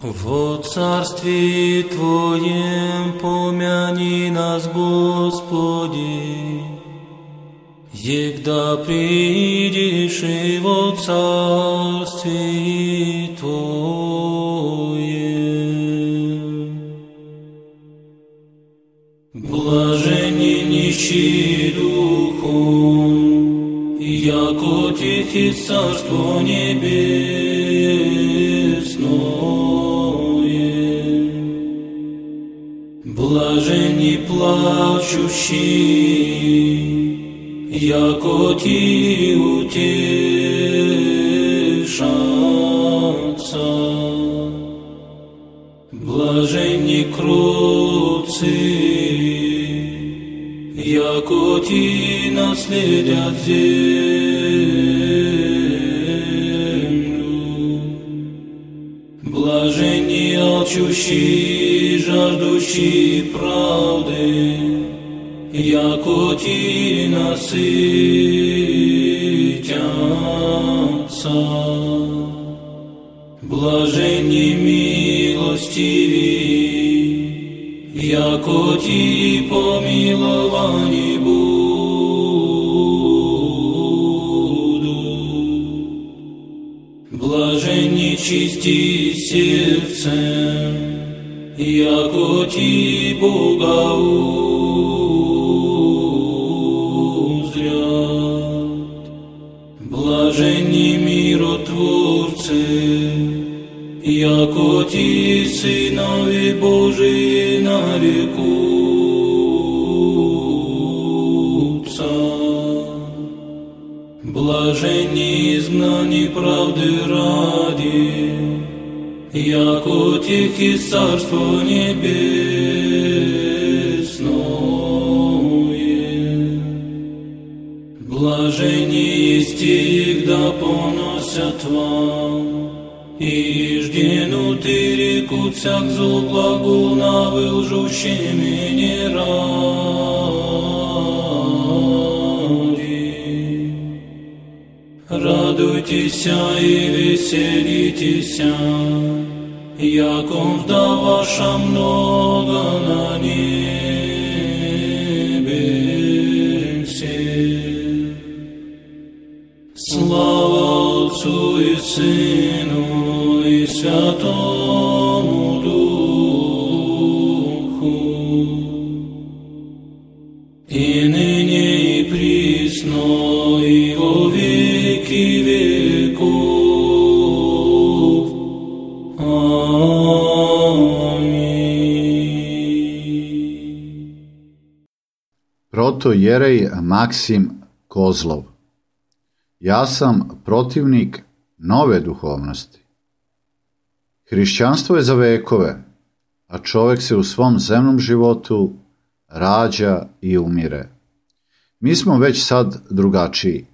Во царстве Твоем помяни нас, Господи, егда придешь и во царстве Твоем. Блаженни нищие духом, яко тихи царство небесное. Блаженни плачущие, яко ти утешатся. Блаженни кроткие, яко ти наследят землю. Блаженни алчущие, жаждущие правды, яко ти насытятся. Блаженни милостивые, яко ти помиловани будут. Блаженни чисти сердцем, яко ти Бога узрят. Блаженни миротворцы, яко ти сынови Божии нарекутся. Блаженни изгнани правды ради, яко тихи царство небесное. Блаженни есть егда поносят вам, и жденуты рекутся к злу благу на вылжущем не ради. Радуйтесь и веселитесь, яко мзда ваша много на небесе. Слава Отцу и Сыну и Святому Духу, и ныне и присно и во веки веков. Protojerej Maksim Kozlov. Ja sam protivnik nove duhovnosti. Hrišćanstvo je za vekove, a čovjek se u svom zemnom životu rađa i umire. Mi smo već sad drugačiji,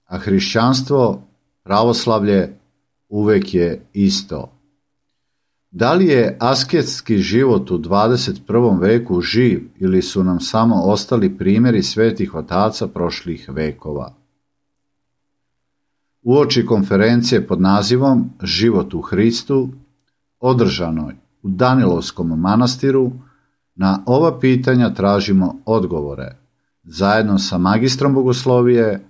a hrišćanstvo, pravoslavlje uvek je isto. Da li je asketski život u 21. veku živ ili su nam samo ostali primjeri svetih otaca prošlih vekova? Uoči konferencije pod nazivom Život u Hristu, održanoj u Danilovskom manastiru, na ova pitanja tražimo odgovore, zajedno sa magistrom bogoslovije,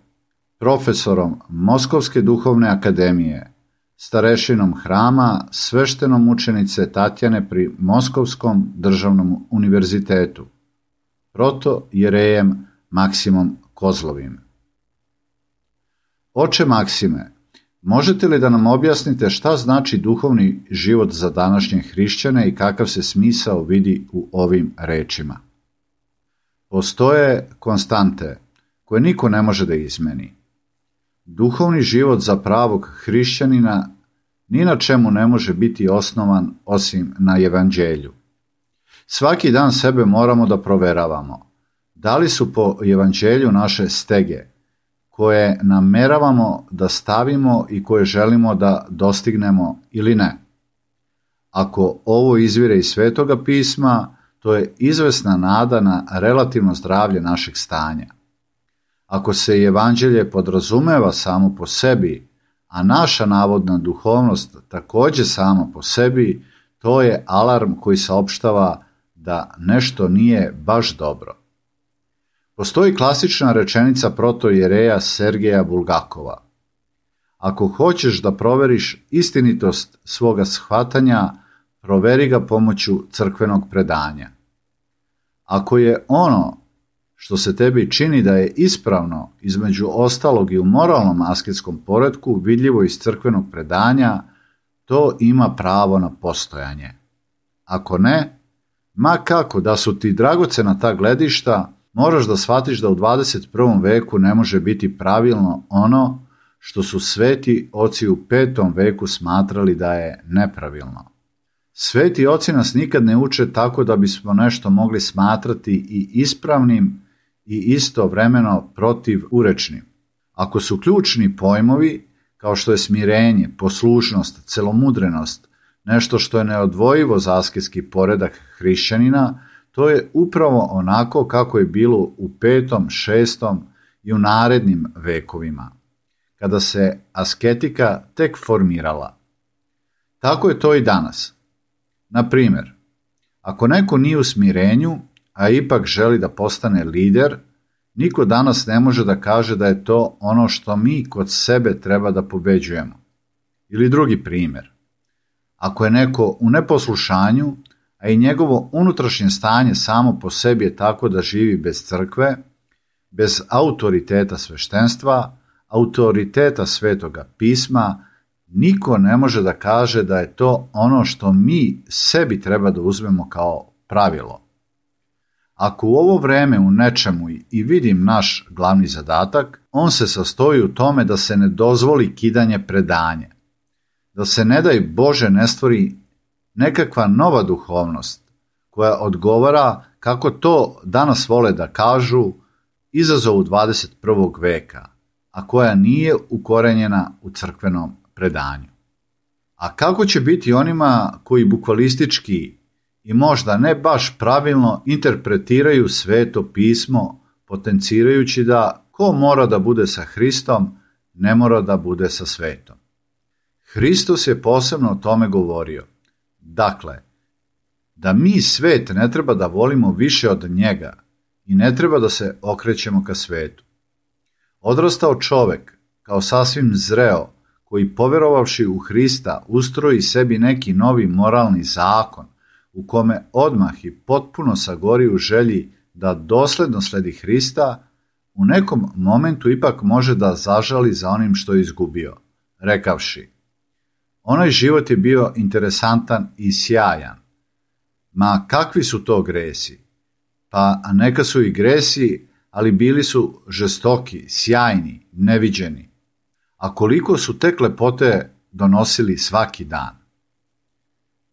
profesorom Moskovske duhovne akademije, starešinom hrama sveštenom učenice Tatjane pri Moskovskom državnom univerzitetu, protojerejem Maksimom Kozlovim. Oče Maksime, možete li da nam objasnite šta znači duhovni život za današnje hrišćane i kakav se smisao vidi u ovim rečima? Postoje konstante koje niko ne može da izmeni. Duhovni život za pravog hrišćanina ni na čemu ne može biti osnovan osim na evanđelju. Svaki dan sebe moramo da proveravamo. Da li su po evanđelju naše stege, koje nameravamo da stavimo i koje želimo da dostignemo ili ne? Ako ovo izvire iz Svetoga pisma, to je izvesna nada na relativno zdravlje našeg stanja. Ako se evanđelje podrazumeva samo po sebi, a naša navodna duhovnost takođe sama po sebi, To je alarm koji saopštava da nešto nije baš dobro. Postoji klasična rečenica protoijereja Sergeja Bulgakova. Ako hoćeš da proveriš istinitost svoga shvatanja, proveri ga pomoću crkvenog predanja. Ako je ono što se tebi čini da je ispravno, između ostalog i u moralnom asketskom poretku, vidljivo iz crkvenog predanja, to ima pravo na postojanje. Ako ne, ma kako da su ti dragocena ta gledišta, moraš da shvatiš da u 21. veku ne može biti pravilno ono što su sveti oci u 5. veku smatrali da je nepravilno. Sveti oci nas nikad ne uče tako da bismo nešto mogli smatrati i ispravnim i istovremeno protivurečnim. Ako su ključni pojmovi, kao što je smirenje, poslušnost, celomudrenost, nešto što je neodvojivo za asketski poredak hrišćanina, to je upravo onako kako je bilo u 5., 6. i u narednim vekovima, kada se asketika tek formirala. Tako je to i danas. Na primjer, ako neko nije u smirenju, a ipak želi da postane lider, niko danas ne može da kaže da je to ono što mi kod sebe treba da pobeđujemo. Ili drugi primjer. Ako je neko u neposlušanju, a i njegovo unutrašnje stanje samo po sebi je tako da živi bez crkve, bez autoriteta sveštenstva, autoriteta svetoga pisma, niko ne može da kaže da je to ono što mi sebi treba da uzmemo kao pravilo. Ako u ovo vreme u nečemu i vidim naš glavni zadatak, on se sastoji u tome da se ne dozvoli kidanje predanja, da se ne daj Bože ne stvori nekakva nova duhovnost koja odgovara, kako to danas vole da kažu, izazovu 21. veka, a koja nije ukorenjena u crkvenom predanju. A kako će biti onima koji bukvalistički i možda ne baš pravilno interpretiraju sveto pismo, potencirajući da ko mora da bude sa Hristom, ne mora da bude sa svetom. Hristos je posebno o tome govorio. Dakle, da mi svet ne treba da volimo više od njega i ne treba da se okrećemo ka svetu. Odrastao čovek, kao sasvim zreo, koji poverovavši u Hrista ustroji sebi neki novi moralni zakon, u kome odmah i potpuno sagori u želji da dosledno sledi Hrista, u nekom momentu ipak može da zažali za onim što je izgubio, rekavši: onaj život je bio interesantan i sjajan. Ma kakvi su to gresi? Pa neka su i gresi, ali bili su žestoki, sjajni, neviđeni. A koliko su tek lepote donosili svaki dan.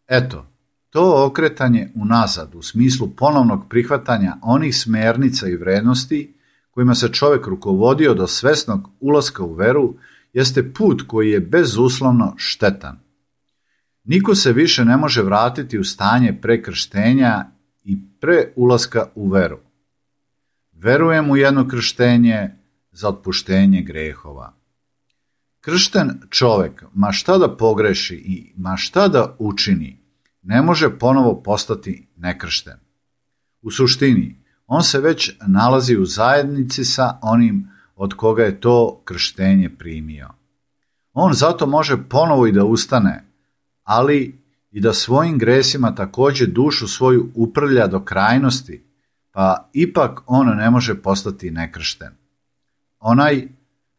Eto, to okretanje unazad u smislu ponovnog prihvatanja onih smernica i vrednosti kojima se čovjek rukovodio do svesnog ulaska u veru jeste put koji je bezuslovno štetan. Niko se više ne može vratiti u stanje pre krštenja i pre ulaska u veru. Verujem u jedno krštenje za otpuštenje grehova. Kršten čovjek, ma šta da pogreši i ma šta da učini, ne može ponovo postati nekršten. U suštini, on se već nalazi u zajednici sa onim od koga je to krštenje primio. On zato može ponovo i da ustane, ali i da svojim gresima također dušu svoju uprlja do krajnosti, pa ipak on ne može postati nekršten. Onaj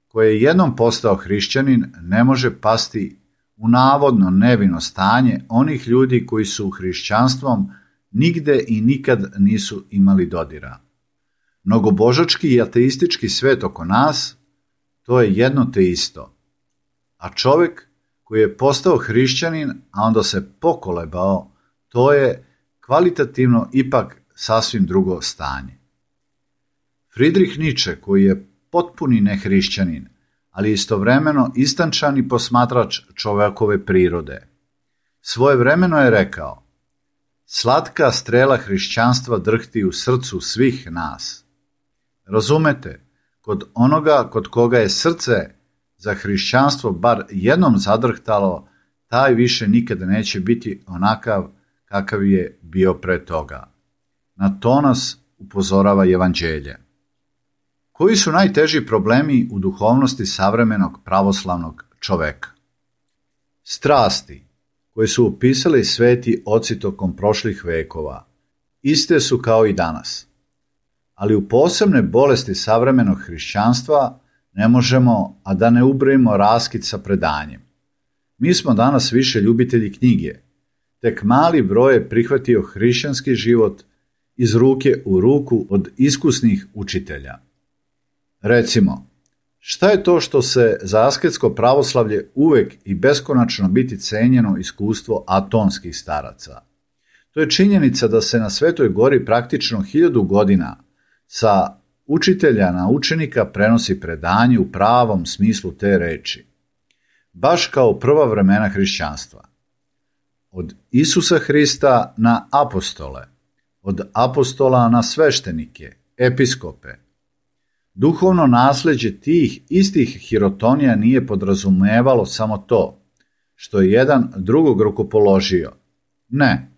koji je jednom postao hrišćanin ne može pasti u navodno nevino stanje onih ljudi koji su hrišćanstvom nigde i nikad nisu imali dodira. Mnogobožački i ateistički svet oko nas, to je jedno te isto. A čovjek koji je postao hrišćanin, a onda se pokolebao, to je kvalitativno ipak sasvim drugo stanje. Friedrich Nietzsche, koji je potpuni nehrišćanin, ali istovremeno istančani posmatrač čovekove prirode, svojevremeno je rekao: slatka strela hrišćanstva drhti u srcu svih nas. Razumete, kod onoga kod koga je srce za hrišćanstvo bar jednom zadrhtalo, taj više nikada neće biti onakav kakav je bio pre toga. Na to nas upozorava Evanđelje. Koji su najteži problemi u duhovnosti savremenog pravoslavnog čoveka? Strasti, koje su upisali sveti oci tokom prošlih vekova, iste su kao i danas. Ali u posebne bolesti savremenog hrišćanstva ne možemo, a da ne ubrojimo raskid sa predanjem. Mi smo danas više ljubitelji knjige. Tek mali broj je prihvatio hrišćanski život iz ruke u ruku od iskusnih učitelja. Recimo, šta je to što se za asketsko pravoslavlje uvek i beskonačno biti cenjeno iskustvo atonskih staraca? To je činjenica da se na Svetoj gori praktično 1000 godina sa učitelja na učenika prenosi predanje u pravom smislu te reči. Baš kao prva vremena hrišćanstva. Od Isusa Hrista na apostole, od apostola na sveštenike, episkope. Duhovno nasleđe tih istih hirotonija nije podrazumevalo samo to, što je jedan drugog rukopoložio. Ne,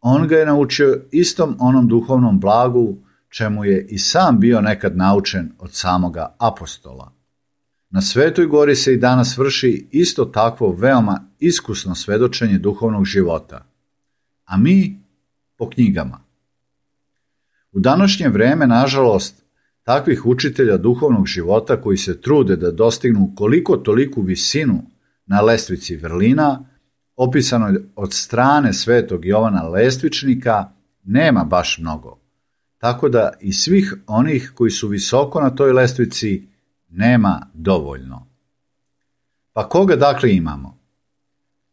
on ga je naučio istom onom duhovnom blagu, čemu je i sam bio nekad naučen od samoga apostola. Na Svetoj gori se i danas vrši isto takvo veoma iskusno svedočenje duhovnog života, a mi po knjigama. U današnje vreme, nažalost, takvih učitelja duhovnog života koji se trude da dostignu koliko toliku visinu na lestvici vrlina, opisanoj od strane svetog Jovana Lestvičnika, nema baš mnogo. Tako da i svih onih koji su visoko na toj lestvici nema dovoljno. Pa koga dakle imamo?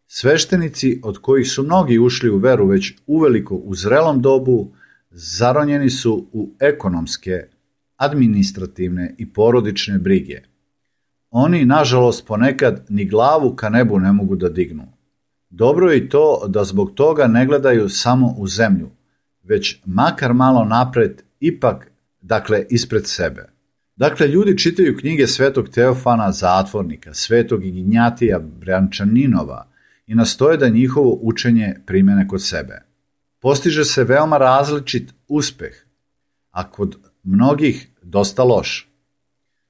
Sveštenici od kojih su mnogi ušli u veru već uveliko u zrelom dobu, zaronjeni su u ekonomske, administrativne i porodične brige. Oni, nažalost, ponekad ni glavu ka nebu ne mogu da dignu. Dobro je i to da zbog toga ne gledaju samo u zemlju, već makar malo napred, ipak, ispred sebe. Ljudi čitaju knjige svetog Teofana Zatvornika, svetog Ignjatija Brančaninova i nastoje da njihovo učenje primene kod sebe. Postiže se veoma različit uspeh, a kod mnogih dosta loš.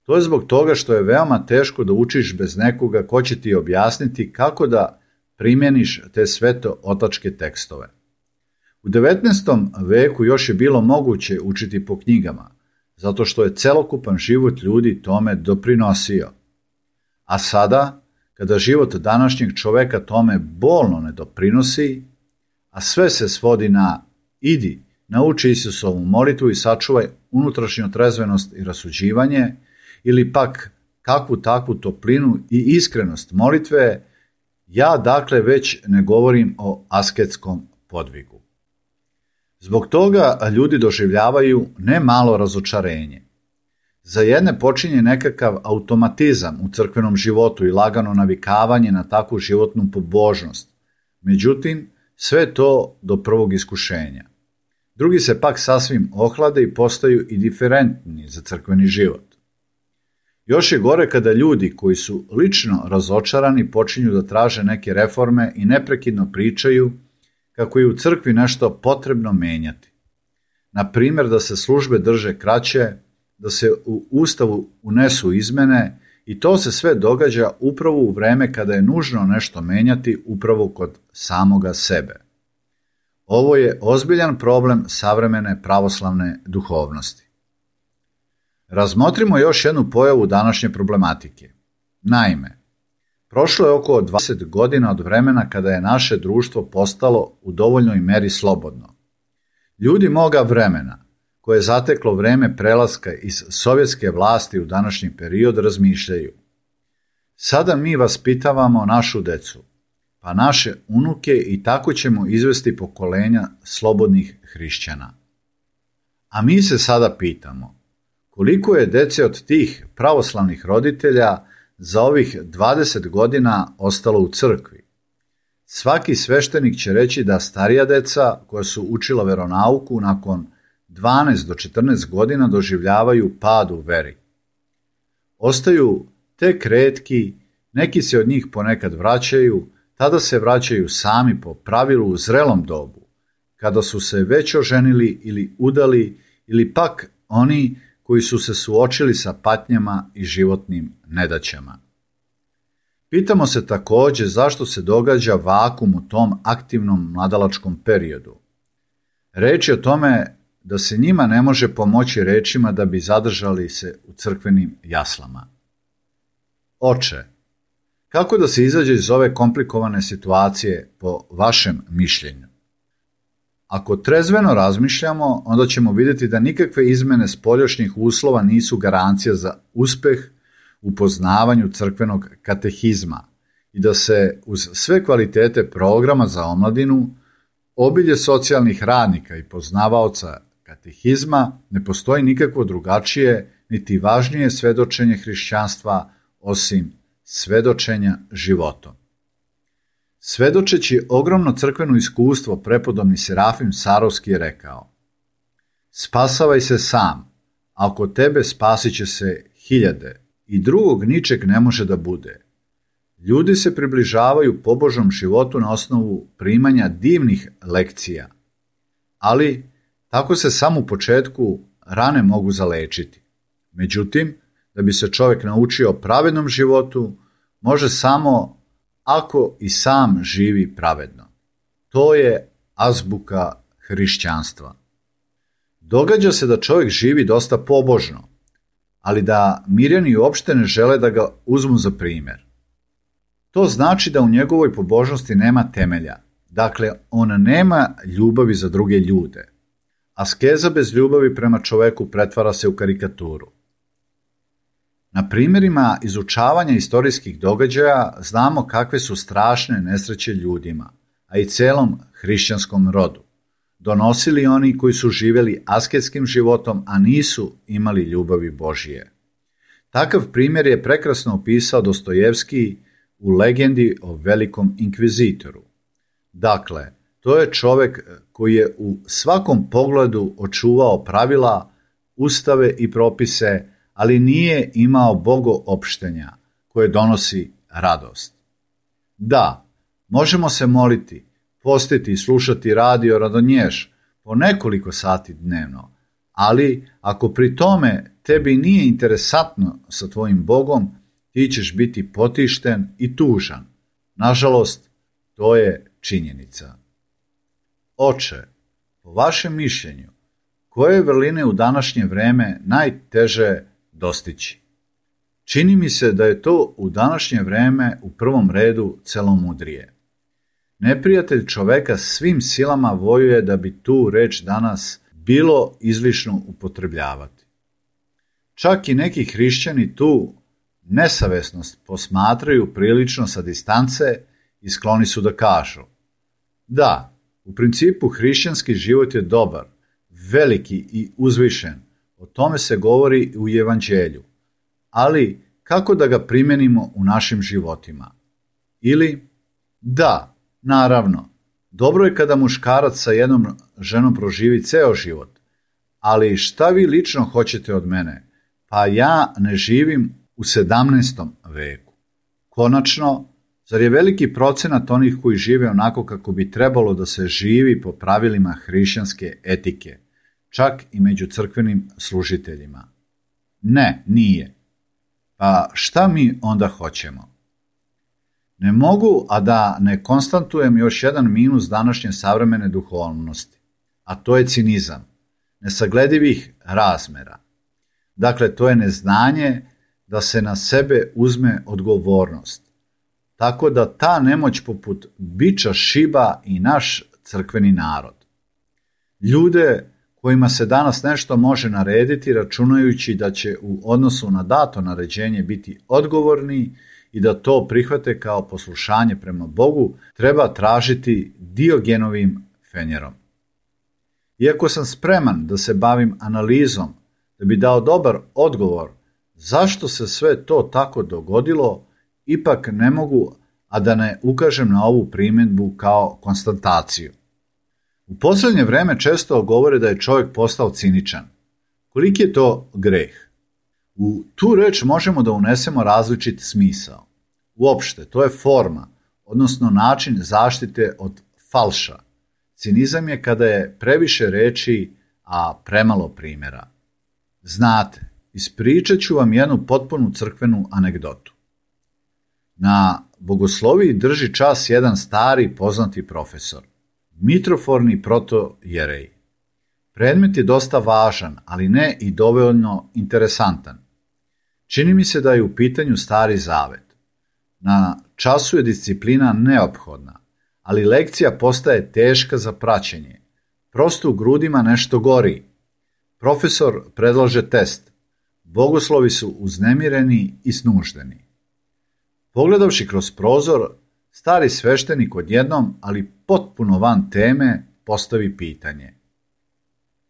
To je zbog toga što je veoma teško da učiš bez nekoga ko će ti objasniti kako da primjeniš te sveto otačke tekstove. U 19. veku još je bilo moguće učiti po knjigama, zato što je celokupan život ljudi tome doprinosio. A sada, kada život današnjeg čoveka tome bolno ne doprinosi, a sve se svodi na idi, nauči Isusovu molitvu i sačuvaj unutrašnju trezvenost i rasuđivanje, ili pak kakvu takvu toplinu i iskrenost molitve, ja već ne govorim o asketskom podvigu. Zbog toga ljudi doživljavaju ne malo razočarenje. Za jedne počinje nekakav automatizam u crkvenom životu i lagano navikavanje na takvu životnu pobožnost. Međutim, sve to do prvog iskušenja. Drugi se pak sasvim ohlade i postaju indiferentni za crkveni život. Još je gore kada ljudi koji su lično razočarani počinju da traže neke reforme i neprekidno pričaju kako je u crkvi nešto potrebno menjati. Na primjer, da se službe drže kraće, da se u Ustavu unesu izmene, i to se sve događa upravo u vreme kada je nužno nešto menjati upravo kod samoga sebe. Ovo je ozbiljan problem savremene pravoslavne duhovnosti. Razmotrimo još jednu pojavu današnje problematike. Naime, prošlo je oko 20 godina od vremena kada je naše društvo postalo u dovoljnoj meri slobodno. Ljudi moga vremena, koje je zateklo vreme prelaska iz sovjetske vlasti u današnji period, razmišljaju. Sada mi vaspitavamo našu decu, pa naše unuke, i tako ćemo izvesti pokolenja slobodnih hrišćana. A mi se sada pitamo, koliko je dece od tih pravoslavnih roditelja za ovih 20 godina ostalo u crkvi? Svaki sveštenik će reći da starija deca koja su učila veronauku nakon 12 do 14 godina doživljavaju pad u veri. Ostaju tek retki, neki se od njih ponekad vraćaju, tada se vraćaju sami po pravilu u zrelom dobu, kada su se već oženili ili udali, ili pak oni koji su se suočili sa patnjama i životnim nedaćama. Pitamo se također zašto se događa vakum u tom aktivnom mladalačkom periodu. Reč je o tome da se njima ne može pomoći rečima da bi zadržali se u crkvenim jaslama. Oče, kako da se izađe iz ove komplikovane situacije po vašem mišljenju? Ako trezveno razmišljamo, onda ćemo vidjeti da nikakve izmjene spoljašnjih uslova nisu garancija za uspjeh u poznavanju crkvenog katehizma i da se uz sve kvalitete programa za omladinu, obilje socijalnih radnika i poznavaoca katehizma ne postoji nikakvo drugačije niti važnije svedočenje hrišćanstva osim svedočenja životom. Svedočeći ogromno crkveno iskustvo, prepodobni Serafim Sarovski je rekao: spasavaj se sam, a oko tebe spasit će se hiljade i drugog ničeg ne može da bude. Ljudi se približavaju pobožnom životu na osnovu primanja divnih lekcija, ali tako se samo u početku rane mogu zalečiti. Međutim, da bi se čovjek naučio pravednom životu, može samo ako i sam živi pravedno. To je azbuka hrišćanstva. Događa se da čovjek živi dosta pobožno, ali da Mirjani uopšte ne žele da ga uzmu za primjer. To znači da u njegovoj pobožnosti nema temelja, dakle on nema ljubavi za druge ljude. Askeza bez ljubavi prema čoveku pretvara se u karikaturu. Na primjerima izučavanja istorijskih događaja znamo kakve su strašne nesreće ljudima, a i celom hrišćanskom rodu. Donosili oni koji su živjeli asketskim životom, a nisu imali ljubavi Božije. Takav primjer je prekrasno opisao Dostojevski u legendi o velikom inkvizitoru. Dakle, to je čovjek koji je u svakom pogledu očuvao pravila, ustave i propise, ali nije imao bogoopštenja koje donosi radost. Da, možemo se moliti, postiti i slušati radio Radonješ po nekoliko sati dnevno, ali ako pri tome tebi nije interesantno sa tvojim Bogom, ti ćeš biti potišten i tužan. Nažalost, to je činjenica. Oče, po vašem mišljenju, koje vrline u današnje vreme najteže dostići? Čini mi se da je to u današnje vreme u prvom redu celomudrije. Neprijatelj čoveka svim silama vojuje da bi tu reč danas bilo izlišno upotrebljavati. Čak i neki hrišćani tu nesavesnost posmatraju prilično sa distance i skloni su da kažu: da, u principu hrišćanski život je dobar, veliki i uzvišen, o tome se govori u Evanđelju, ali kako da ga primenimo u našim životima? Ili, da, naravno, dobro je kada muškarac sa jednom ženom proživi ceo život, ali šta vi lično hoćete od mene? Pa ja ne živim u 17. veku. Konačno, zar je veliki procenat onih koji žive onako kako bi trebalo da se živi po pravilima hrišćanske etike, čak i među crkvenim služiteljima? Ne, nije. Pa šta mi onda hoćemo? Ne mogu, a da ne konstatujem još jedan minus današnje savremene duhovnosti, a to je cinizam, nesagledivih razmera. Dakle, to je neznanje da se na sebe uzme odgovornost, tako da ta nemoć poput biča šiba i naš crkveni narod. Ljude kojima se danas nešto može narediti, računajući da će u odnosu na dato naređenje biti odgovorni i da to prihvate kao poslušanje prema Bogu, treba tražiti Diogenovim fenjerom. Iako sam spreman da se bavim analizom, da bi dao dobar odgovor zašto se sve to tako dogodilo, ipak ne mogu, a da ne ukažem na ovu primjedbu kao konstataciju. U posljednje vreme često govore da je čovjek postao ciničan. Koliki je to greh? U tu reč možemo da unesemo različit smisao. Uopšte, to je forma, odnosno način zaštite od falša. Cinizam je kada je previše reči, a premalo primjera. Znate, ispričat ću vam jednu potpunu crkvenu anegdotu. Na bogosloviji drži čas jedan stari poznati profesor, mitroforni protojerej. Predmet je dosta važan, ali ne i dovoljno interesantan. Čini mi se da je u pitanju Stari Zavet. Na času je disciplina neophodna, ali lekcija postaje teška za praćenje. Prosto u grudima nešto gori. Profesor predlaže test. Bogoslovi su uznemireni i snuždeni. Pogledavši kroz prozor, stari sveštenik odjednom, ali potpuno van teme, postavi pitanje.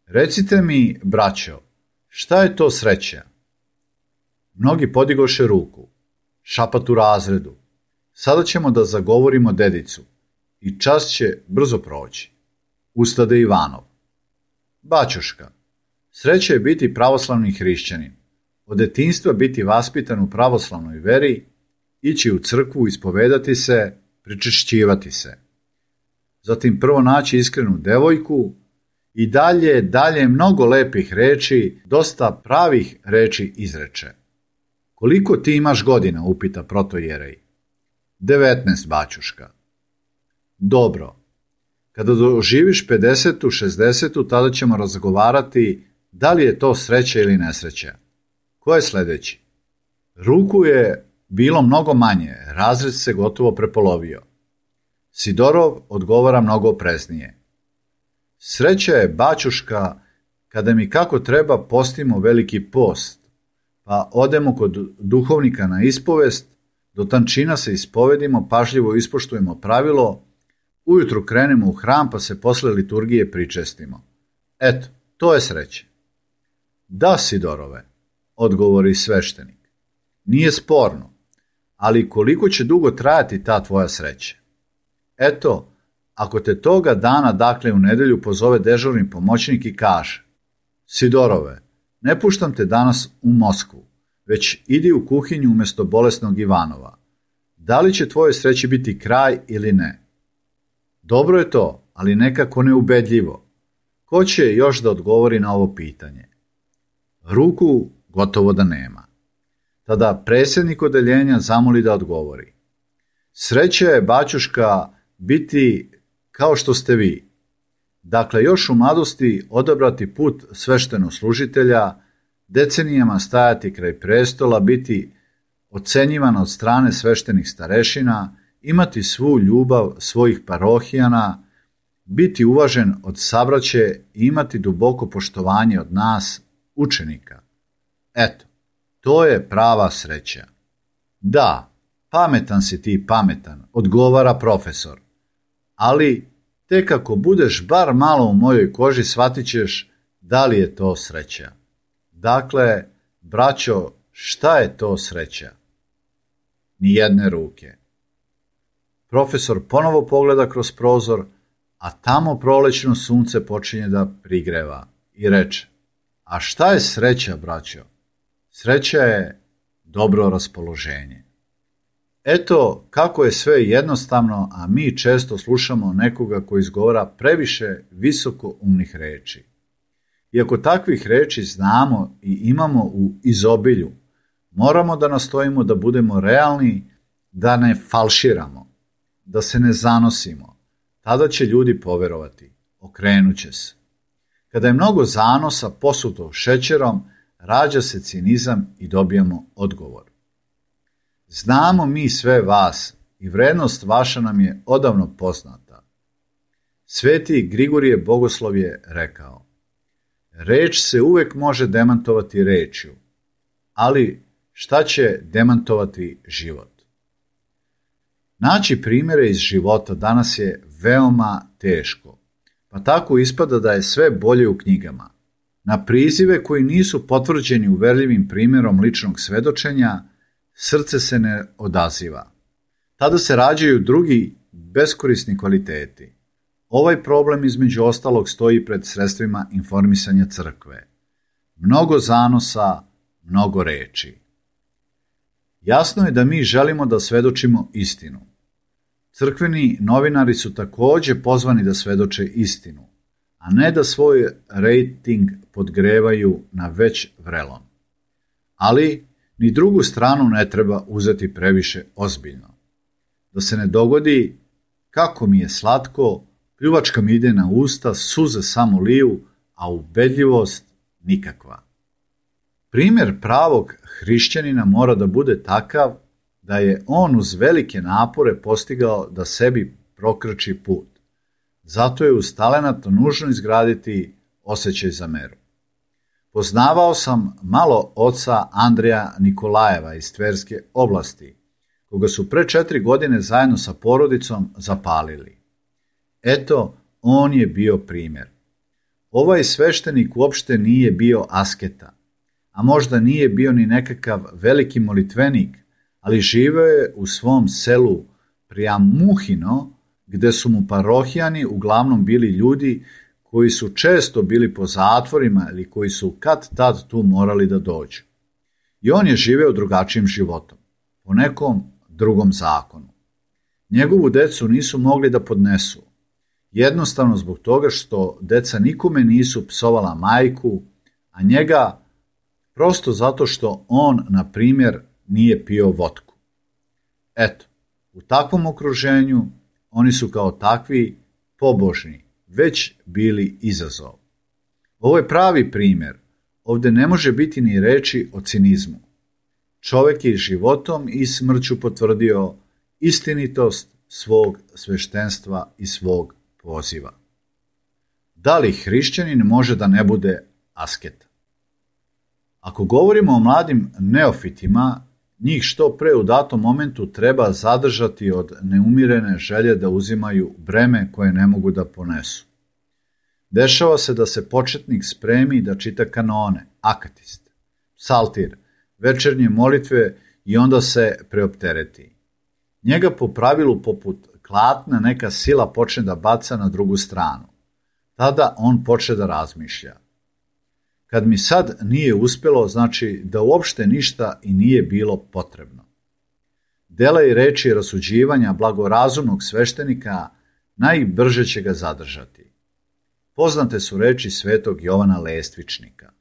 Recite mi, braćo, šta je to sreća? Mnogi podigoše ruku. Šapat u razredu. Sada ćemo da zagovorimo dedicu i čas će brzo proći. Ustade Ivanov. Baćoška, sreća je biti pravoslavni hrišćanin. Od detinjstva biti vaspitan u pravoslavnoj veri, ići u crkvu, ispovedati se, pričešćivati se. Zatim prvo naći iskrenu devojku i dalje mnogo lepih reči, dosta pravih reči izreče. Koliko ti imaš godina, upita protojerej. 19, baćuška. Dobro. Kada doživiš 50, 60, tada ćemo razgovarati da li je to sreća ili nesreća. Ko je sljedeći? Ruku je bilo mnogo manje, razred se gotovo prepolovio. Sidorov odgovara mnogo opreznije. Sreća je, baćuška, kada mi kako treba postimo veliki post, pa odemo kod duhovnika na ispovest, do tančina se ispovedimo, pažljivo ispoštujemo pravilo, ujutru krenemo u hram, pa se posle liturgije pričestimo. Eto, to je sreća. Da, Sidorove, odgovori sveštenik. Nije sporno, ali koliko će dugo trajati ta tvoja sreća? Eto, ako te toga dana, dakle u nedelju, pozove dežurni pomoćnik i kaže: Sidorove, ne puštam te danas u Moskvu, već idi u kuhinju umjesto bolesnog Ivanova. Da li će tvoje sreći biti kraj ili ne? Dobro je to, ali nekako neubedljivo. Ko će još da odgovori na ovo pitanje? Ruku gotovo da nema. Tada predsjednik odeljenja zamoli da odgovori. Sreća je, baćuška, biti kao što ste vi. Dakle, još u mladosti odabrati put sveštenoslужitelja, decenijama stajati kraj prestola, biti ocenjivan od strane sveštenih starešina, imati svu ljubav svojih parohijana, biti uvažen od sabraće i imati duboko poštovanje od nas, učenika. Eto, to je prava sreća. Da, pametan si ti, pametan, odgovara profesor, ali tek ako budeš bar malo u mojoj koži, shvatit ćeš da li je to sreća. Dakle, braćo, šta je to sreća? Nijedne ruke. Profesor ponovo pogleda kroz prozor, a tamo prolećno sunce počinje da prigreva i reče: a šta je sreća, braćo? Sreća je dobro raspoloženje. Eto kako je sve jednostavno, a mi često slušamo nekoga koji izgovara previše visoko umnih reči. Iako takvih reči znamo i imamo u izobilju, moramo da nastojimo da budemo realni, da ne falširamo, da se ne zanosimo. Tada će ljudi poverovati, okrenut će se. Kada je mnogo zanosa posuto šećerom, rađa se cinizam i dobijamo odgovor. Znamo mi sve vas i vrednost vaša nam je odavno poznata. Sveti Grigorije Bogoslov je rekao: reč se uvek može demantovati rečju, ali šta će demantovati život? Naći primjere iz života danas je veoma teško, pa tako ispada da je sve bolje u knjigama. Na prizive koji nisu potvrđeni uverljivim primjerom ličnog svedočenja, srce se ne odaziva. Tada se rađaju drugi beskorisni kvaliteti. Ovaj problem između ostalog stoji pred sredstvima informisanja crkve. Mnogo zanosa, mnogo reči. Jasno je da mi želimo da svedočimo istinu. Crkveni novinari su također pozvani da svedoče istinu, a ne da svoj rejting podgrevaju na već vrelom. Ali ni drugu stranu ne treba uzeti previše ozbiljno. Da se ne dogodi kako mi je slatko, pljuvačka mi ide na usta, suze samo liju, a ubedljivost nikakva. Primjer pravog hrišćanina mora da bude takav da je on uz velike napore postigao da sebi prokrči put. Zato je uz talenat nužno izgraditi osjećaj za meru. Poznavao sam malo oca Andreja Nikolajeva iz Tverske oblasti, koga su pre 4 godine zajedno sa porodicom zapalili. Eto, on je bio primjer. Ovaj sveštenik uopšte nije bio asketa, a možda nije bio ni nekakav veliki molitvenik, ali živeo je u svom selu Prijamuhino, gde su mu parohijani uglavnom bili ljudi koji su često bili po zatvorima ili koji su kad tad tu morali da dođu. I on je živeo drugačijim životom, po nekom drugom zakonu. Njegovu decu nisu mogli da podnesu, jednostavno zbog toga što deca nikome nisu psovala majku, a njega prosto zato što on, na primjer, nije pio votku. Eto, u takvom okruženju oni su kao takvi pobožni, već bili izazov. Ovo je pravi primjer. Ovdje ne može biti ni reči o cinizmu. Čovjek je životom i smrću potvrdio istinitost svog sveštenstva i svog poziva. Da li hrišćanin može da ne bude asket? Ako govorimo o mladim neofitima, njih što pre u datom momentu treba zadržati od neumirene želje da uzimaju breme koje ne mogu da ponesu. Dešava se da se početnik spremi da čita kanone, akatist, psaltir, večernje molitve i onda se preoptereti. Njega po pravilu poput klatna neka sila počne da baca na drugu stranu. Tada on počne da razmišlja. Kad mi sad nije uspjelo, znači da uopšte ništa i nije bilo potrebno. Dela i reči rasuđivanja blagorazumnog sveštenika najbrže će ga zadržati. Poznate su reči svetog Jovana Lestvičnika.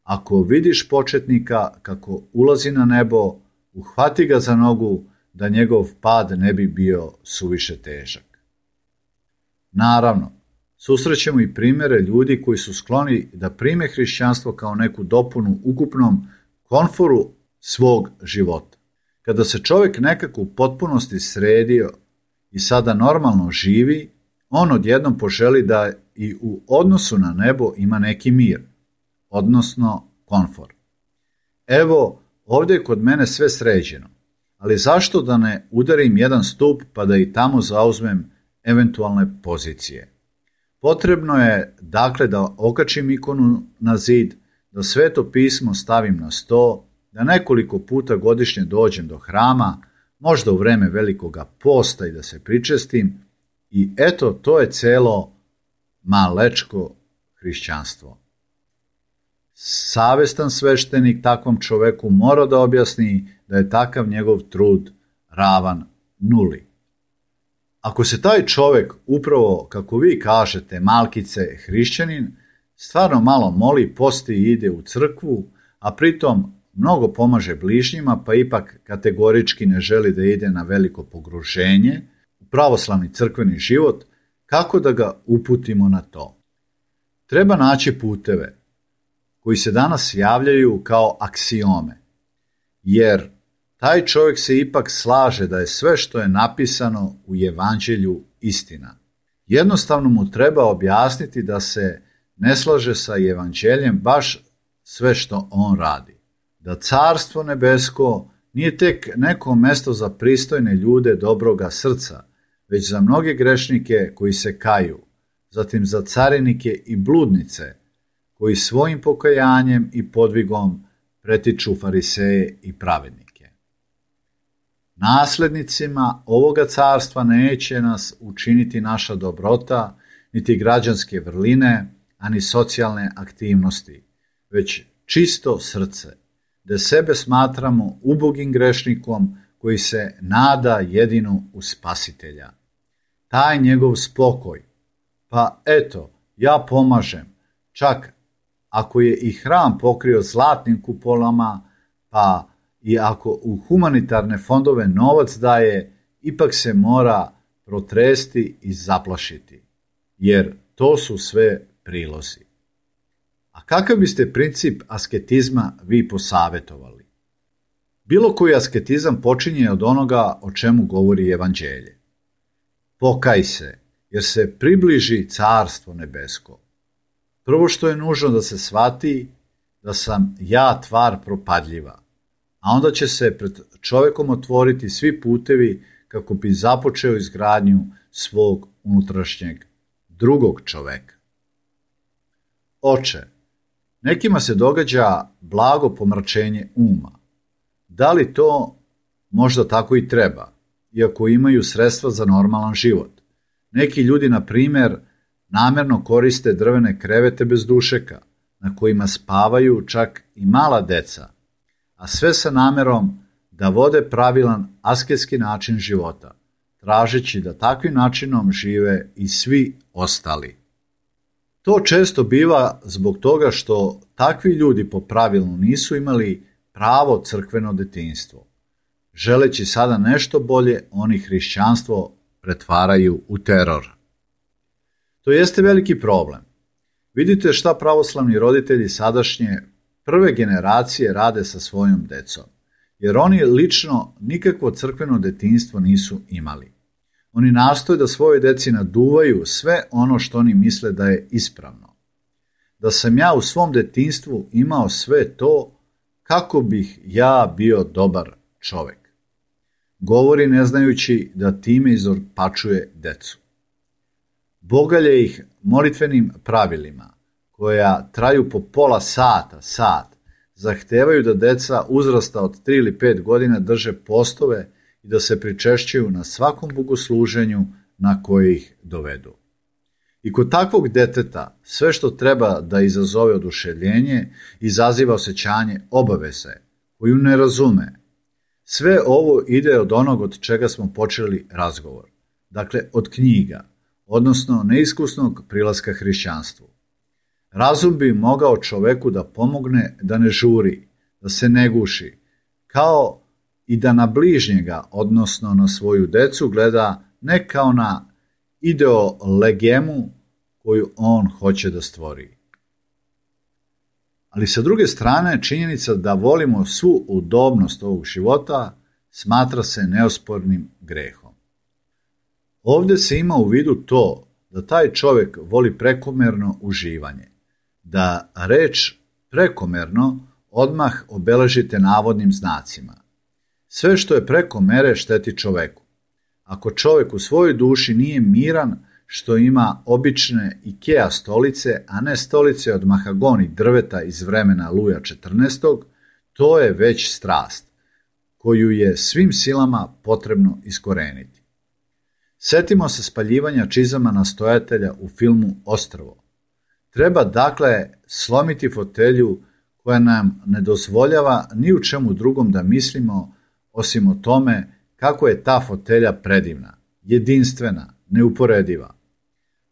Ako vidiš početnika kako ulazi na nebo, uhvati ga za nogu da njegov pad ne bi bio suviše težak. Naravno, susrećemo i primjere ljudi koji su skloni da prime hrišćanstvo kao neku dopunu ukupnom komforu svog života. Kada se čovjek nekako u potpunosti sredio i sada normalno živi, on odjednom poželi da i u odnosu na nebo ima neki mir, odnosno komfor. Evo, ovdje je kod mene sve sređeno, ali zašto da ne udarim jedan stup pa da i tamo zauzmem eventualne pozicije? Potrebno je, dakle, da okačim ikonu na zid, da sveto pismo stavim na sto, da nekoliko puta godišnje dođem do hrama, možda u vreme velikoga posta i da se pričestim, i eto, to je celo malečko hrišćanstvo. Savestan sveštenik takvom čoveku mora da objasni da je takav njegov trud ravan nuli. Ako se taj čovjek upravo, kako vi kažete, malkice, hrišćanin, stvarno malo moli, posti i ide u crkvu, a pritom mnogo pomaže bližnjima, pa ipak kategorički ne želi da ide na veliko pogruženje u pravoslavni crkveni život, kako da ga uputimo na to? Treba naći puteve koji se danas javljaju kao aksiome, jer taj čovjek se ipak slaže da je sve što je napisano u evanđelju istina. Jednostavno mu treba objasniti da se ne slaže sa evanđeljem baš sve što on radi. Da carstvo nebesko nije tek neko mesto za pristojne ljude dobroga srca, već za mnoge grešnike koji se kaju, zatim za carinike i bludnice, koji svojim pokajanjem i podvigom pretiču fariseje i pravednike. Naslednicima ovoga carstva neće nas učiniti naša dobrota, niti građanske vrline, ani socijalne aktivnosti, već čisto srce, da sebe smatramo ubogim grešnikom koji se nada jedino u Spasitelja. Taj njegov spokoj, pa eto, ja pomažem, čak ako je i hram pokrio zlatnim kupolama, pa i ako u humanitarne fondove novac daje, ipak se mora protresti i zaplašiti, jer to su sve prilozi. A kakav biste princip asketizma vi posavjetovali? Bilo koji asketizam počinje od onoga o čemu govori evanđelje. Pokaj se, jer se približi carstvo nebesko. Prvo što je nužno da se shvati da sam ja tvar propadljiva, a onda će se pred čovjekom otvoriti svi putevi kako bi započeo izgradnju svog unutrašnjeg drugog čoveka. Oče, nekima se događa blago pomračenje uma. Da li to možda tako i treba, iako imaju sredstva za normalan život? Neki ljudi, na primjer, namjerno koriste drvene krevete bez dušeka, na kojima spavaju čak i mala deca, a sve sa namjerom da vode pravilan asketski način života, tražeći da takvim načinom žive i svi ostali. To često biva zbog toga što takvi ljudi po pravilu nisu imali pravo crkveno detinjstvo. Želeći sada nešto bolje, oni hrišćanstvo pretvaraju u teror. To jeste veliki problem. Vidite šta pravoslavni roditelji sadašnje prve generacije rade sa svojom decom, jer oni lično nikakvo crkveno detinjstvo nisu imali. Oni nastoje da svojoj deci naduvaju sve ono što oni misle da je ispravno. Da sam ja u svom detinjstvu imao sve to, kako bih ja bio dobar čovjek. Govori ne znajući da time izorpačuje decu. Bogalje ih molitvenim pravilima, koja traju po pola sat, zahtevaju da deca uzrasta od 3 ili 5 godina drže postove i da se pričešćuju na svakom bogosluženju na koje ih dovedu. I kod takvog deteta sve što treba da izazove oduševljenje izaziva osjećanje obaveze, koju ne razume. Sve ovo ide od onog od čega smo počeli razgovor, dakle od knjiga, odnosno neiskusnog prilaska hrišćanstvu. Razum bi mogao čoveku da pomogne da ne žuri, da se ne guši, kao i da na bližnjega, odnosno na svoju decu, gleda ne kao na ideolegemu koju on hoće da stvori. Ali sa druge strane, činjenica da volimo svu udobnost ovog života smatra se neospornim grehom. Ovdje se ima u vidu to da taj čovjek voli prekomerno uživanje, da reč prekomerno odmah obeležite navodnim znacima. Sve što je preko mere šteti čoveku. Ako čovjek u svojoj duši nije miran što ima obične Ikea stolice, a ne stolice od mahagoni drveta iz vremena Luja XIV, to je već strast, koju je svim silama potrebno iskoreniti. Setimo se spaljivanja čizama nastojatelja u filmu Ostrvo. Treba dakle slomiti fotelju koja nam ne dozvoljava ni u čemu drugom da mislimo osim o tome kako je ta fotelja predivna, jedinstvena, neuporediva.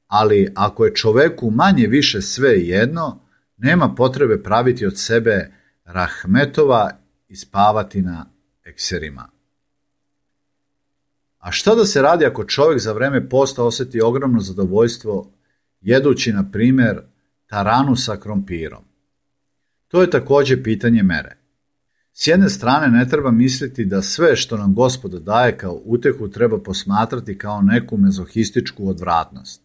Ali ako je čoveku manje više sve jedno, nema potrebe praviti od sebe rahmetova i spavati na ekserima. A šta da se radi ako čovjek za vreme posta osjeti ogromno zadovoljstvo jedući, na primjer, taranu sa krompirom? To je također pitanje mere. S jedne strane ne treba misliti da sve što nam Gospod daje kao utehu treba posmatrati kao neku mezohističku odvratnost.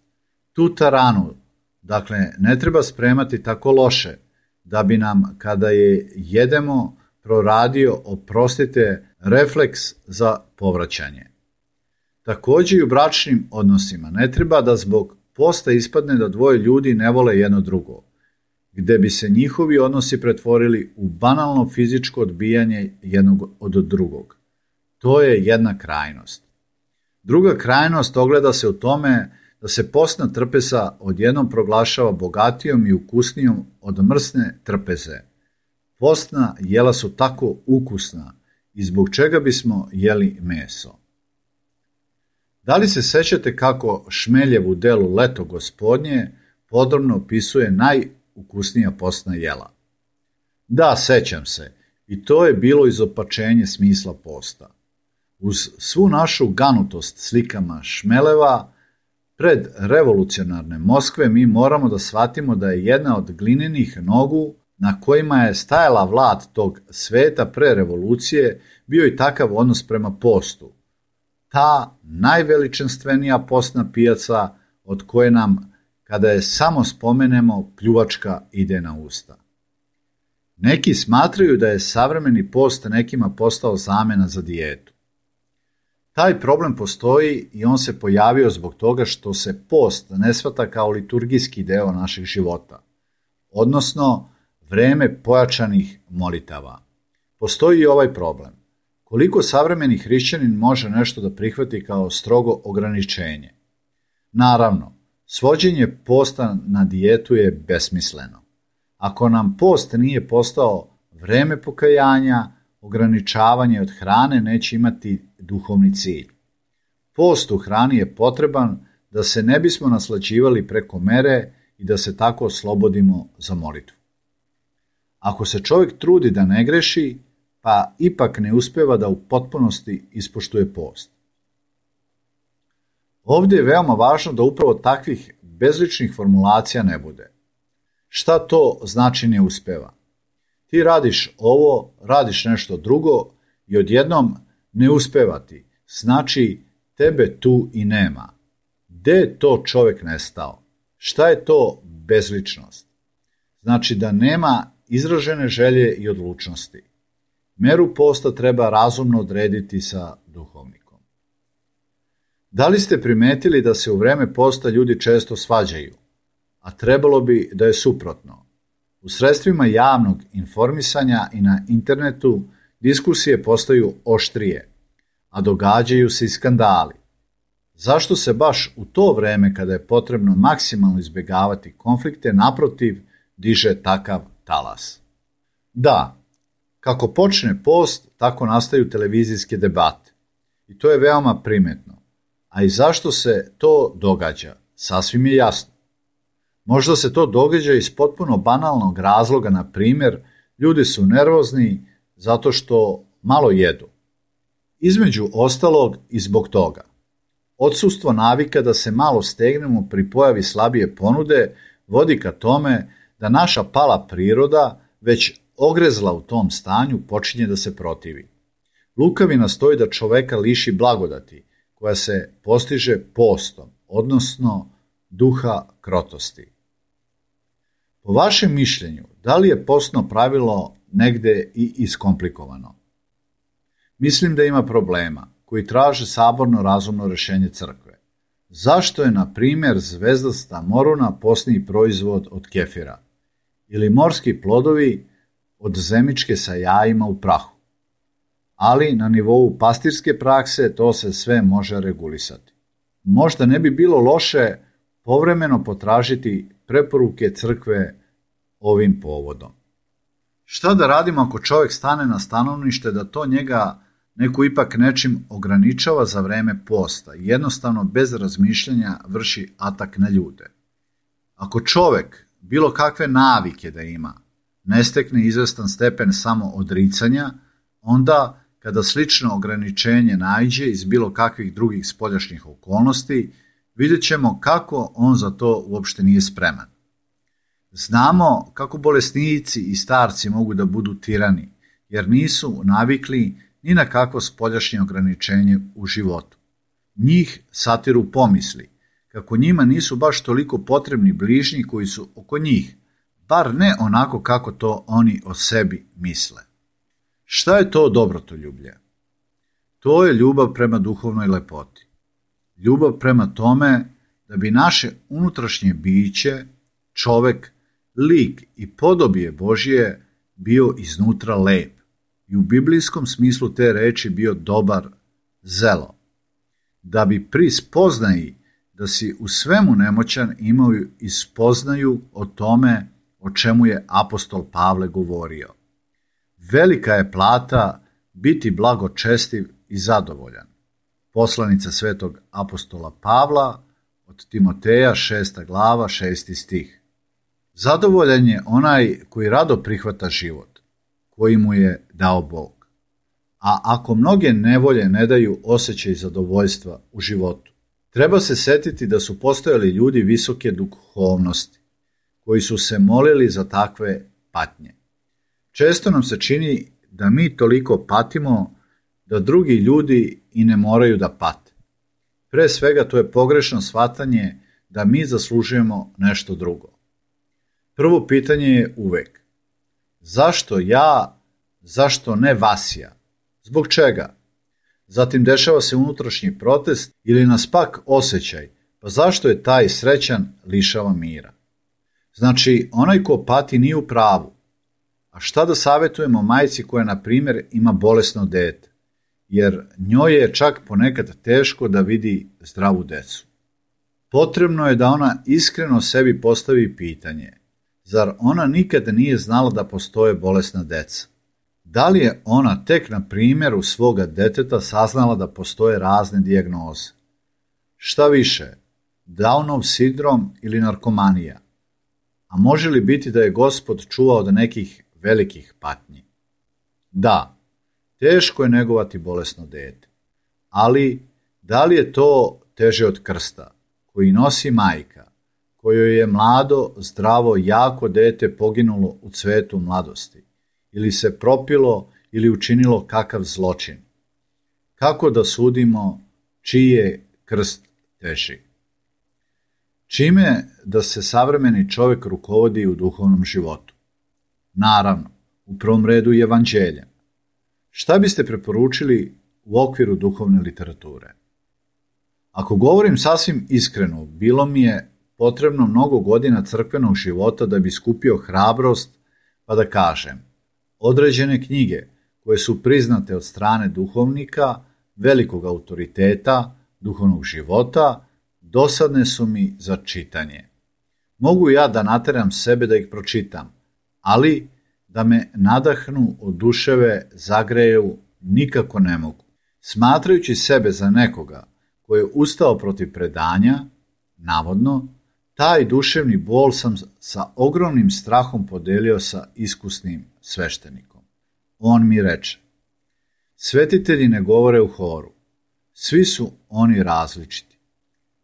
Tu taranu, dakle, ne treba spremati tako loše da bi nam, kada je jedemo, proradio, oprostite, refleks za povraćanje. Također i u bračnim odnosima ne treba da zbog posta ispadne da dvoje ljudi ne vole jedno drugo, gde bi se njihovi odnosi pretvorili u banalno fizičko odbijanje jednog od drugog. To je jedna krajnost. Druga krajnost ogleda se u tome da se postna trpeza odjednom proglašava bogatijom i ukusnijom od mrsne trpeze. Postna jela su tako ukusna i zbog čega bismo jeli meso. Da li se sećate kako Šmeljev u delu Leto gospodnje podrobno opisuje najukusnija postna jela? Da, sećam se, i to je bilo izopačenje smisla posta. Uz svu našu ganutost slikama Šmeleva, pred revolucionarne Moskve mi moramo da shvatimo da je jedna od glinenih nogu na kojima je stajala vlad tog sveta pre revolucije bio i takav odnos prema postu. Ta najveličanstvenija postna pijaca od koje nam, kada je samo spomenemo, pljuvačka ide na usta. Neki smatraju da je savremeni post nekima postao zamena za dijetu. Taj problem postoji i on se pojavio zbog toga što se post ne shvata kao liturgijski deo našeg života, odnosno vreme pojačanih molitava. Postoji i ovaj problem. Koliko savremeni hrišćanin može nešto da prihvati kao strogo ograničenje? Naravno, svođenje posta na dijetu je besmisleno. Ako nam post nije postao vreme pokajanja, ograničavanje od hrane neće imati duhovni cilj. Post u hrani je potreban da se ne bismo naslađivali preko mere i da se tako oslobodimo za molitvu. Ako se čovjek trudi da ne greši, pa ipak ne uspeva da u potpunosti ispoštuje post. Ovdje je veoma važno da upravo takvih bezličnih formulacija ne bude. Šta to znači ne uspeva? Ti radiš ovo, radiš nešto drugo i odjednom ne uspeva ti. Znači tebe tu i nema. Gde je to čovjek nestao? Šta je to bezličnost? Znači da nema izražene želje i odlučnosti. Meru posta treba razumno odrediti sa duhovnikom. Da li ste primetili da se u vreme posta ljudi često svađaju, a trebalo bi da je suprotno? U sredstvima javnog informisanja i na internetu diskusije postaju oštrije, a događaju se i skandali. Zašto se baš u to vreme kada je potrebno maksimalno izbjegavati konflikte, naprotiv, diže takav talas? Da, kako počne post, tako nastaju televizijske debate. I to je veoma primetno. A i zašto se to događa? Sasvim je jasno. Možda se to događa iz potpuno banalnog razloga, na primjer, ljudi su nervozni zato što malo jedu. Između ostalog i zbog toga. Odsustvo navika da se malo stegnemo pri pojavi slabije ponude vodi ka tome da naša pala priroda, već ogrezla u tom stanju, počinje da se protivi. Lukavi nastoji da čoveka liši blagodati, koja se postiže postom, odnosno duha krotosti. Po vašem mišljenju, da li je postno pravilo negde i iskomplikovano? Mislim da ima problema koji traže saborno razumno rešenje crkve. Zašto je, na primjer, zvezdasta moruna postni proizvod od kefira ili morski plodovi od zemičke sa jajima u prahu? Ali na nivou pastirske prakse to se sve može regulisati. Možda ne bi bilo loše povremeno potražiti preporuke crkve ovim povodom. Šta da radimo ako čovjek stane na stanovnište da to njega neko ipak nečim ograničava za vreme posta i jednostavno bez razmišljanja vrši atak na ljude? Ako čovjek bilo kakve navike da ima, ne stekne izvestan stepen samo odricanja, onda kada slično ograničenje naiđe iz bilo kakvih drugih spoljašnjih okolnosti, vidjet ćemo kako on za to uopšte nije spreman. Znamo kako bolesnici i starci mogu da budu tirani, jer nisu navikli ni na kakvo spoljašnje ograničenje u životu. Njih satiru pomisli, kako njima nisu baš toliko potrebni bližnji koji su oko njih, bar ne onako kako to oni o sebi misle. Šta je to dobrotoljublje? To je ljubav prema duhovnoj lepoti. Ljubav prema tome da bi naše unutrašnje biće, čovek, lik i podobije Božije bio iznutra lep i u biblijskom smislu te reči bio dobar, zelo. Da bi pri spoznaji da si u svemu nemoćan imao i spoznaju o tome o čemu je apostol Pavle govorio. Velika je plata biti blagočestiv i zadovoljan. Poslanica svetog apostola Pavla od Timoteja 6. glava 6. stih. Zadovoljan je onaj koji rado prihvata život, koji mu je dao Bog. A ako mnoge nevolje ne daju osjećaj zadovoljstva u životu, treba se setiti da su postojali ljudi visoke duhovnosti, koji su se molili za takve patnje. Često nam se čini da mi toliko patimo da drugi ljudi i ne moraju da pate. Pre svega to je pogrešno shvatanje da mi zaslužujemo nešto drugo. Prvo pitanje je uvek: zašto ja, zašto ne Vasija? Zbog čega? Zatim dešava se unutrašnji protest ili nas pak osjećaj, pa zašto je taj srećan lišava mira? Znači, onaj ko pati nije u pravu. A šta da savjetujemo majci koja, na primjer, ima bolesno dete, jer njoj je čak ponekad teško da vidi zdravu decu? Potrebno je da ona iskreno sebi postavi pitanje: zar ona nikad nije znala da postoje bolesna deca? Da li je ona tek na primjeru svoga deteta saznala da postoje razne dijagnoze? Šta više, Downov sindrom ili narkomanija? A može li biti da je Gospod čuvao od nekih velikih patnji? Da, teško je negovati bolesno dete, ali da li je to teže od krsta koji nosi majka, kojoj je mlado, zdravo, jako dete poginulo u cvetu mladosti, ili se propilo ili učinilo kakav zločin? Kako da sudimo čiji je krst teži? Čime da se savremeni čovjek rukovodi u duhovnom životu? Naravno, u prvom redu i evanđeljem. Šta biste preporučili u okviru duhovne literature? Ako govorim sasvim iskreno, bilo mi je potrebno mnogo godina crkvenog života da bi skupio hrabrost pa da kažem: određene knjige koje su priznate od strane duhovnika, velikog autoriteta, duhovnog života, dosadne su mi za čitanje. Mogu ja da nateram sebe da ih pročitam, ali da me nadahnu, oduševe, zagreju, nikako ne mogu. Smatrajući sebe za nekoga koji je ustao protiv predanja, navodno, taj duševni bol sam sa ogromnim strahom podelio sa iskusnim sveštenikom. On mi reče: svetitelji ne govore u horu, svi su oni različiti.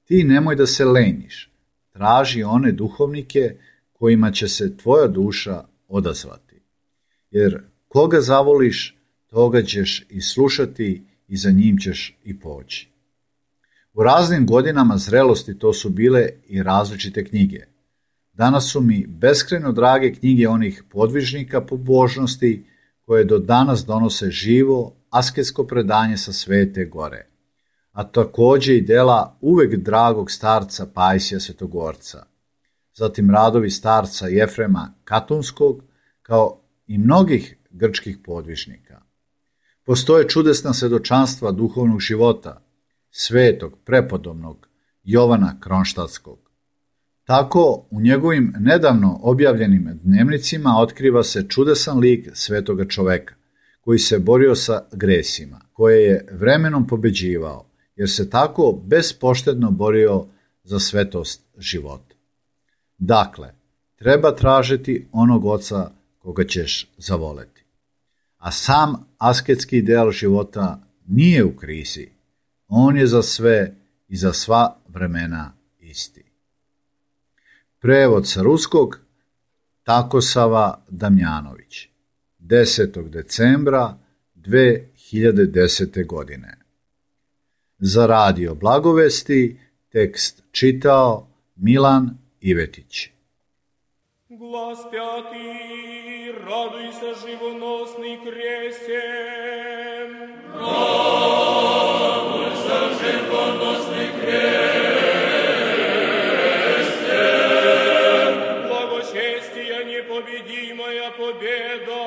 Ti nemoj da se leniš, traži one duhovnike kojima će se tvoja duša odazvati. Jer koga zavoliš, toga ćeš i slušati i za njim ćeš i poći. U raznim godinama zrelosti to su bile i različite knjige. Danas su mi beskrajno drage knjige onih podvižnika pobožnosti koje do danas donose živo, asketsko predanje sa Svete Gore, a također i dela uvek dragog starca Pajsija Svetogorca, zatim radovi starca Jefrema Katunskog, kao i mnogih grčkih podvižnika. Postoje čudesna svedočanstva duhovnog života svetog prepodobnog Jovana Kronštatskog. Tako u njegovim nedavno objavljenim dnevnicima otkriva se čudesan lik svetoga čoveka, koji se borio sa gresima, koje je vremenom pobeđivao, jer se tako bespoštedno borio za svetost života. Dakle, treba tražiti onog oca koga ćeš zavoleti. A sam asketski ideal života nije u krizi. On je za sve i za sva vremena isti. Prevod sa ruskog Takosava Damjanović, 10. decembra 2010. godine. Za Radio Blagovesti tekst čitao Milan Ivetić. Глас пятый, радуйся, живоносный кресен. Радуйся, живоносный кресен. Благочестие непобедимая победа.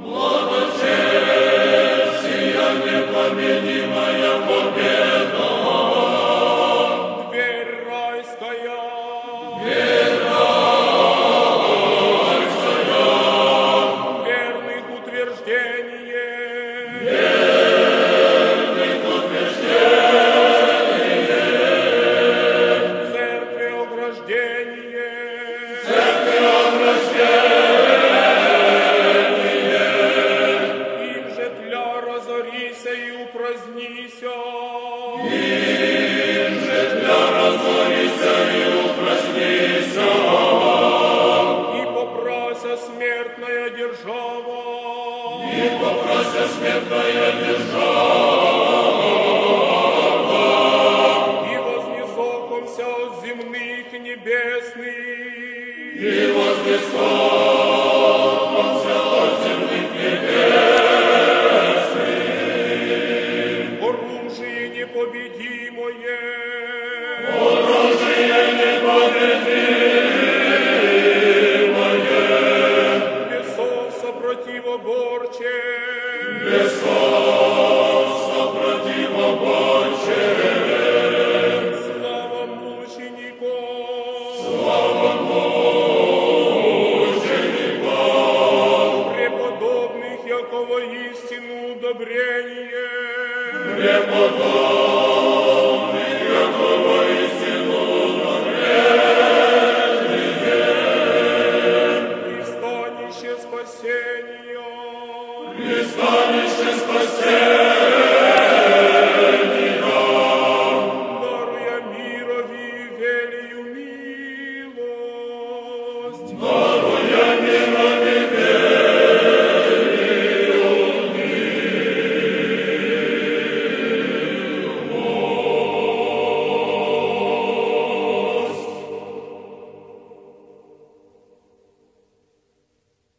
Благочестие непобедимая победа. Дверь райская. Верных утверждение. Им же тля разорися и упразднися. И попрося смертная держава. И вознесохомся от земных небесных.